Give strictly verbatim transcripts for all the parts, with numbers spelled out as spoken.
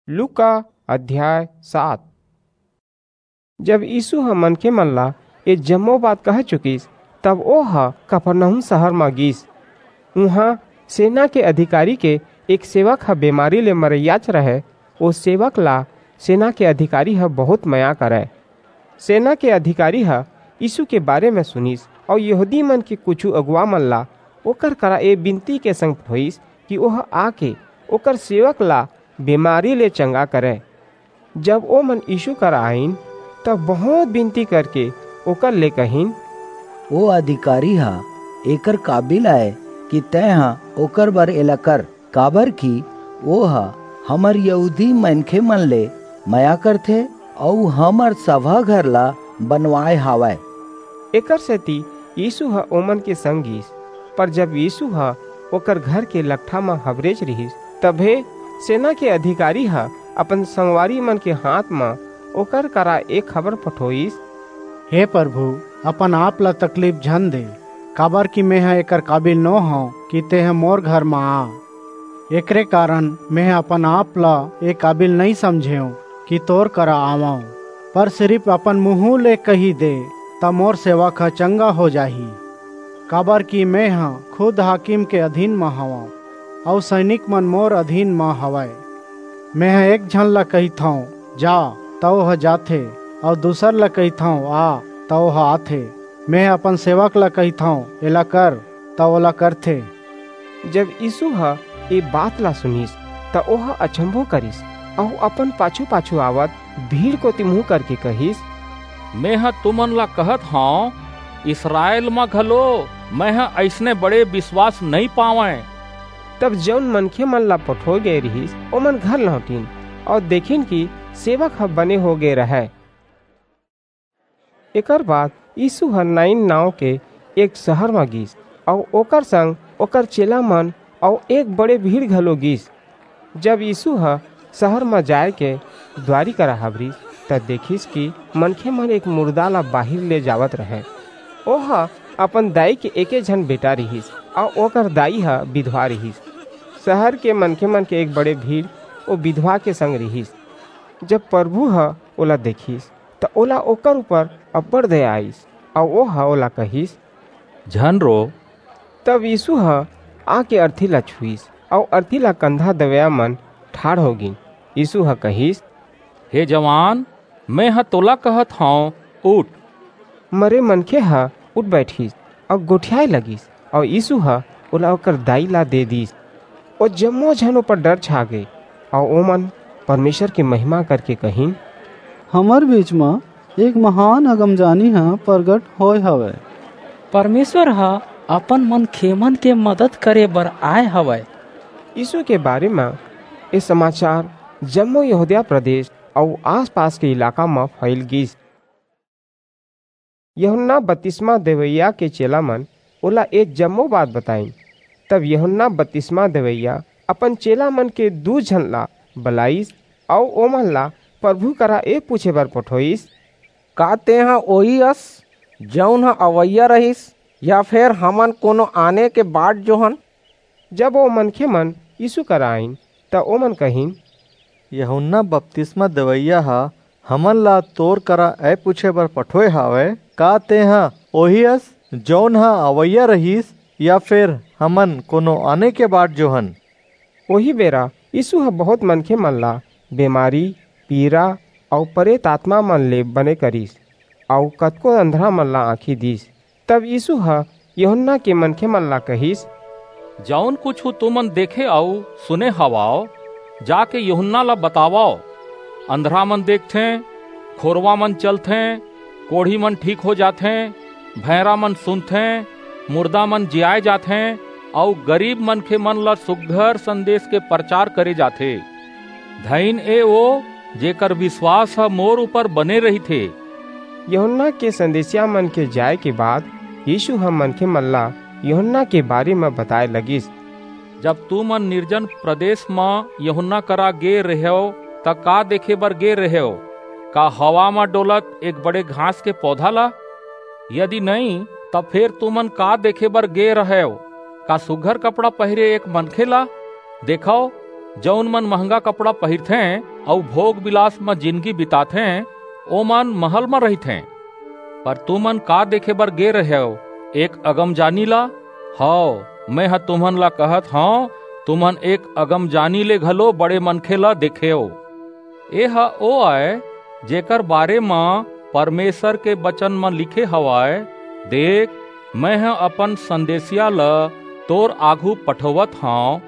लूका अध्याय सात। जब यीसू ह मनखे मन ला ए जम्मो बात कह चुकिस, तब ओह कफरनहूम सहर म गीस। उहां सेना के अधिकारी के एक सेवक ह बेमारी ले मरइयाच रहय। ओ सेवक ला सेना के अधिकारी ह बहुत मया करय। सेना के अधिकारी ह यीसू के बारे म सुनिस अऊ यहूदी मन के कुछू अगुवा मन ला ओकर करा ए बिनती के संग पठोईस कि ओह आके ओकर सेवक ला बेमारी ले चंगा करय। जब ओमन यीसू करा आईन, तब बहुंत बिनती करके ओकर ले कहिन, ओ अधिकारी ह एकर काबिल अय कि तेंह ओकर बर एला कर, काबरकि ओह हमर यहूदी मनखेमन ले मया करथे अऊ हमर सभा घर ला बनवाय हावय। एकरसेति यीसू ह ओमन के संग गीस। पर जब यीसू ह ओकर घर के लकठा म हबरेच रिहिस, तभे सेना के अधिकारी ह अपन संगवारीमन के हांथ म ओकर करा ए खबर पठोईस, हे परभू, अपन-आप ला तकलीफ झन दे, काबरकि मेंह एकर काबिल नो हंव कि तेंह मोर घर म आ। एकरे कारन मेंह अपन-आप ला ए काबिल नइं समझेंव कि तोर करा आवंव, पर सिरिप अपन मुहूं ले कहि दे, त मोर सेवक ह चंगा हो जाही। काबरकि मेंह खुद हाकिम के अधीन म हवंव, अऊ सैनिकमन मोर अधीन म हवंय। मेंह एक झन ला कहिथंव, जा, त ओह जाथे, अऊ दूसर ला कहिथंव, आ, त ओह आथे। मेंह अपन सेवक ला कहिथंव, एला कर, त ओला करथे। जब यीसू ह ए बात ला सुनिस, त ओह अचम्भो करिस, अऊ अपन पाछू-पाछू आवत भीड़ कोति मुहूं करके कहिस, मेंह तुमन ला कहत हंव, इसरायल म घलो मेंह अइसने बड़े बिसवास नइं पावंय। तब जऊन मनखेमन ला पठोय गय रिहिस, ओमन घर लहुंटिन अऊ देखिन कि सेवक ह बने हो गय रहय। एकर बाद यीसू ह नाईन नांव के एक सहर म गीस, अऊ ओकर संग ओकर चेलामन अऊ एक बड़े भीड़ घलो गीस। जब यीसू ह सहर म जाय के दुवारी करा हबरिस, त देखिस कि मनखेमन एक मुरदा ला बाहिर ले जावत रहंय। ओह अपन दाई के एके झन बेटा रिहिस, अऊ ओकर दाई ह बिधवा रिहिस। सहर के मनखेमन के एक बड़े भीड़ ओ बिधवा के संग रिहिस। जब परभू ह ओला देखिस, त ओला ओकर ऊपर अब्बड़ दया आईस, अऊ ओह ओला कहिस, झन रो। तब यीसू ह आके अरथी ला छुईस, अऊ अरथी ला कंधा देवइयामन ठाढ़ हो गीन। यीसू ह कहिस, हे जवान, मेंह तोला कहत हंव, उठ। मरे मनखे ह उठ बईठिस अऊ गोठियाय लगिस, अऊ यीसू ह ओला ओकर दाई ला दे दीस। ओ जम्मो झन ऊपर डर छा गे, अऊ ओमन परमेसर के महिमा करके कहिन, हमर बीच म एक महान अगमजानी ह परगट होय हवय। परमेसर ह अपन मनखेमन के मदद करे बर आय हवय। यीसू के बारे म ए समाचार जम्मो यहूदिया प्रदेस अऊ आस-पास के इलाका म फइल गीस। यूहन्ना बतिसमा देवइया के चेलामन ओला ए जम्मो बात बताईन। तब यूहन्ना बतिसमा देवइया अपन चेलामन के दू झन ला बलाईस अऊ ओमन ला परभू करा ए पूछे बर पठोईस, का तेंह ओही अस, जऊन ह अवइया रहिस, या फेर हमन कोनो आने के बाट जोहन? जब ओ मनखेमन यीसू करा आईन, त ओमन कहिन, यूहन्ना बतिसमा देवइया ह हमन ला तोर करा ए पूछे बर पठोय हवय, का तेंह ओही अस, जऊन ह अवइया रहिस, या फेर हमन कोनो आने के बाट जोहन? ओही बेरा यीसू ह बहुंत मनखेमन ला बेमारी, पीरा अऊ परेत आतमामन ले बने करिस, अऊ कतको अंधरामन ला आंखी दीस। तब यीसू ह यूहन्ना के मनखेमन ला कहिस, जऊन कुछू तुमन देखे अऊ सुने हवव, जाके यूहन्ना ला बतावव। अंधरामन देखथें, खोरवामन चलथें, कोढ़ीमन ठीक हो जाथें, भैंरामन सुनथें, मुरदामन जियाय जाथें, अऊ गरीब मनखेमन ला सुघर संदेस के परचार करे जाथे। धइन ए ओ, जेकर बिसवास ह मोर ऊपर बने रहिथे। यूहन्ना के संदेसियामन के जाय के बाद यीसू ह मनखेमन ला यूहन्ना के बारे म बताय लगिस। जब तुमन निर्जन प्रदेस म यूहन्ना करा गे रेहेव, त का देखे बर गे रेहेव? का हवा म डोलत एक बड़े घास के पौधा ला? यदि नइं, त फेर तुमन का देखे बर गे रहेव? का सुघर कपड़ा पहिरे एक मनखे ला? देखव, जऊन मन महंगा कपड़ा पहिरथें, अऊ भोग विलास म जिनगी बिताथें, ओमन महल म रहिथें। पर तुमन का देखे बर गे रहेव? एक अगमजानी ला? हव, मेंह तुमन ला कहत हंव, तुमन एक अगमजानी ले घलो बड़े मनखे ला देखेव। एह ओ अय, जेकर बारे म परमेसर के बचन म लिखे हवय, "देख, मेंह अपन संदेसिया ल तोर आघू पठोवत हंव,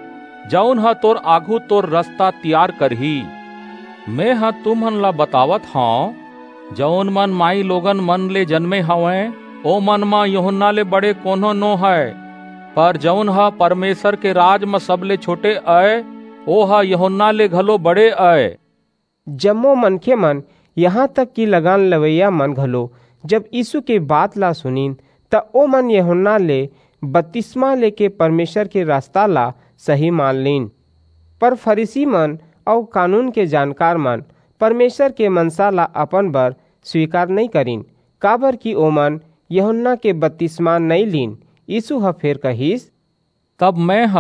जऊन ह तोर आघू तोर रसता तियार करही।" मेंह तुमन ला बतावत हंव, जऊन मन माईलोगन मन ले जनमे हवंय, ओमन म यूहन्ना ले बड़े कोनो नो हय, पर जऊन ह परमेसर के राज म सबले छोटे अय, ओह यूहन्ना ले घलो बड़े अय। जम्मो मनखेमन, इहां तक कि लगान लेवइया मन घलो, जब यीसू के बात ला सुनिन, त ओमन यूहन्ना ले बतिसमा लेके परमेसर के रसता ला सही मान लीन। पर फरीसीमन अऊ कानून के जानकारमन परमेसर के मनसा ला अपन बर स्वीकार नइं करिन, काबरकि ओमन यूहन्ना के बतिसमा नइं लीन। यीसू ह फेर कहिस, तब मेंह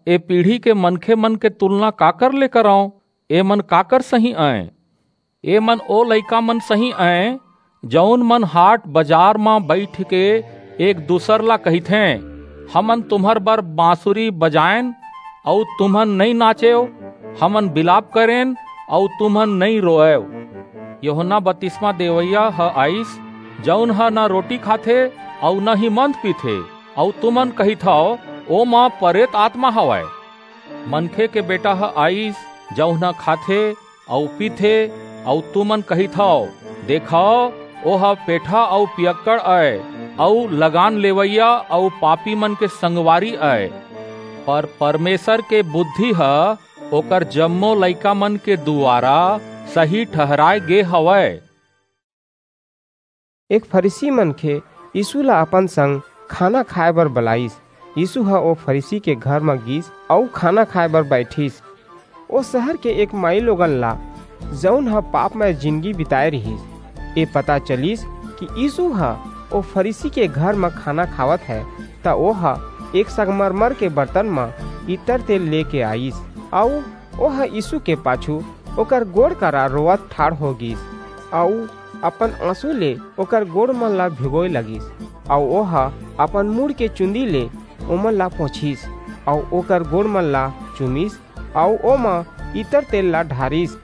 ए पीढ़ी के मनखेमन के तुलना काकर ले करंव? एमन काकर सहीं अंय? एमन ओ लइकामन सहीं अंय, जऊन मन हाट-बजार म बईठके एक-दूसर ला कहिथें, "हमन तुम्हर बर बांसुरी बजाएन, अऊ तुमन नइं नाचेव, हमन बिलाप करेन, अऊ तुमन नइं रोएव।" यूहन्ना बतिसमा देवइया ह आईस, जऊन ह न रोटी खाथे अऊ न ही मंद पीथे, अऊ तुमन कहिथव, "ओमा परेत आतमा हवय।" मनखे के बेटा ह आईस, जऊन ह खाथे अऊ पीथे, अऊ तुमन कहिथव, "देखव, ओह पेठा अऊ पियक्कड़ अय, अऊ लगान लेवइया अऊ पापीमन के संगवारी अय।" पर परमेसर के बुद्धि ह ओकर जम्मो लइकामन के दुवारा सही ठहराय गे हवय। एक फरीसी मनखे यीसू ला अपन संग खाना खाय बर बलाईस। यीसू ह ओ फरीसी के घर म गीस अऊ खाना खाय बर बईठिस। ओ सहर के एक माईलोगन ला, जऊन ह पापमय जिनगी बिताय रिहिस, ए पता चलिस कि यीसू ह ओ फरीसी के घर म खाना खावत हे, त ओह एक संगमरमर के बरतन म इत्तर तेल लेके आईस, अऊ ओह यीसू के पाछू ओकर गोड़ करा रोवत ठाढ़ हो गीस, अऊ अपन आंसू ले ओकर गोड़मन ला भिगोय लगिस, अऊ ओह अपन मुड़ के चुंदी ले ओमन ला पोंछिस, अऊ ओकर गोड़मन ला चूमिस, अऊ ओमा इत्तर तेल ला ढारिस।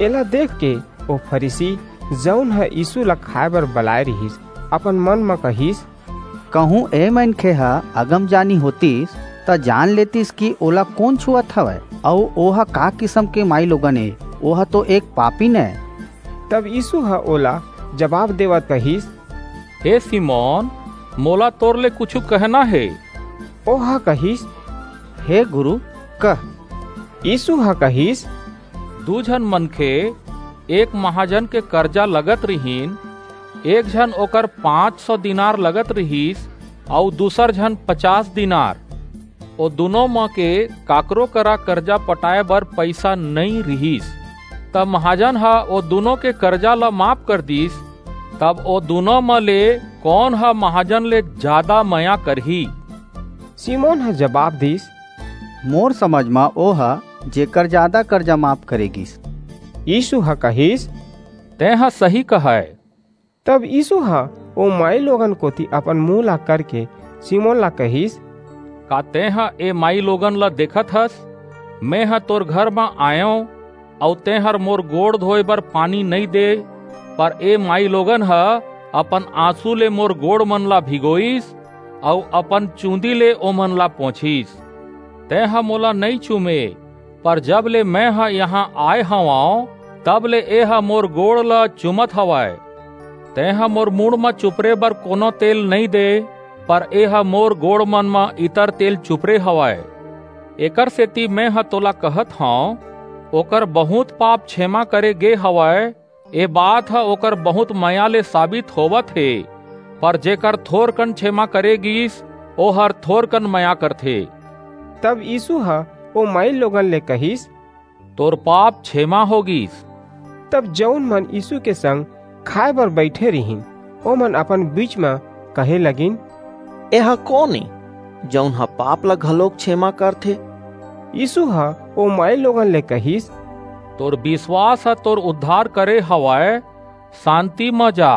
एला देखके ओ फरीसी, जऊन ह यीसू ला खाय बर बलाय रिहिस, अपन मन म कहिस, कहूं ए मनखे ह अगमजानी होतिस, त जान लेतिस कि ओला कोन छुअत हवय, अऊ ओह का किसम के माईलोगन ए, ओह तो एक पापिन ए। तब यीसू ह ओला जबाब देवत कहिस, "हे सिमोन, मोला तोर ले कुछू कहना हे।" ओह कहिस, "हे गुरू, कह।" यीसू ह कहिस, दू झन मनखे, एक महाजन के करजा लगत रिहिन, एक झन ओकर पांच सौ दीनार लगत रिहिस, अऊ दूसर झन पचास दीनार। ओ दूनों म के काकरो करा करजा पटाय बर पईसा नइं रिहिस। तब महाजन ह ओ दूनों के करजा ल माफ कर दीस। तब ओ दूनों म ले कोन ह महाजन ले जादा मया करही? सिमोन ह जबाब दीस, मोर समझ म ओ ह, जेकर जादा करजा माफ करे गीस। यीसू ह कहिस, तेंह सही कहय। तब यीसू ह ओ माईलोगन कोति अपन मुंह ला करके सिमोन ला कहिस, का तेंह ए माईलोगन ला देखत हस? मेंह तोर घर म आयंव, अऊ तेंहर मोर गोड़ धोय बर पानी नइं दे, पर ए माईलोगन ह अपन आंसू ले मोर गोड़मन ला भिगोईस, अऊ अपन चूंदी ले ओमन ला पोंछिस। तेंह मोला नइं चूमे, पर जब ले मेंह इहां आय हवंव, तब ले एह मोर गोड़ ल चूमत हवय। तेंह मोर मुड़ म चुपरे बर कोनो तेल नइं दे, पर एह मोर गोड़मन म इतर तेल चुपरे हवय। एकरसेति मेंह तोला कहत हंव, ओकर बहुंत पाप छेमा करे गे हवय, ए बात ह ओकर बहुंत मया ले साबित होवत हे, पर जेकर थोरकन छेमा करे गीस, ओहर थोरकन मया करथे। तब यीसू ह ओ माईलोगन ले कहिस, तोर पाप छेमा हो गीस। तब जऊन मन यीसू के संग खाय बर बईठे रिहिन, ओमन अपन बीच म कहे लगिन, एह कोन ए, जऊन ह पाप ला घलोक छेमा करथे? यीसू ह ओ माईलोगन ले कहिस, तोर विश्वास ह तोर उद्धार करे हवय। शांति म जा।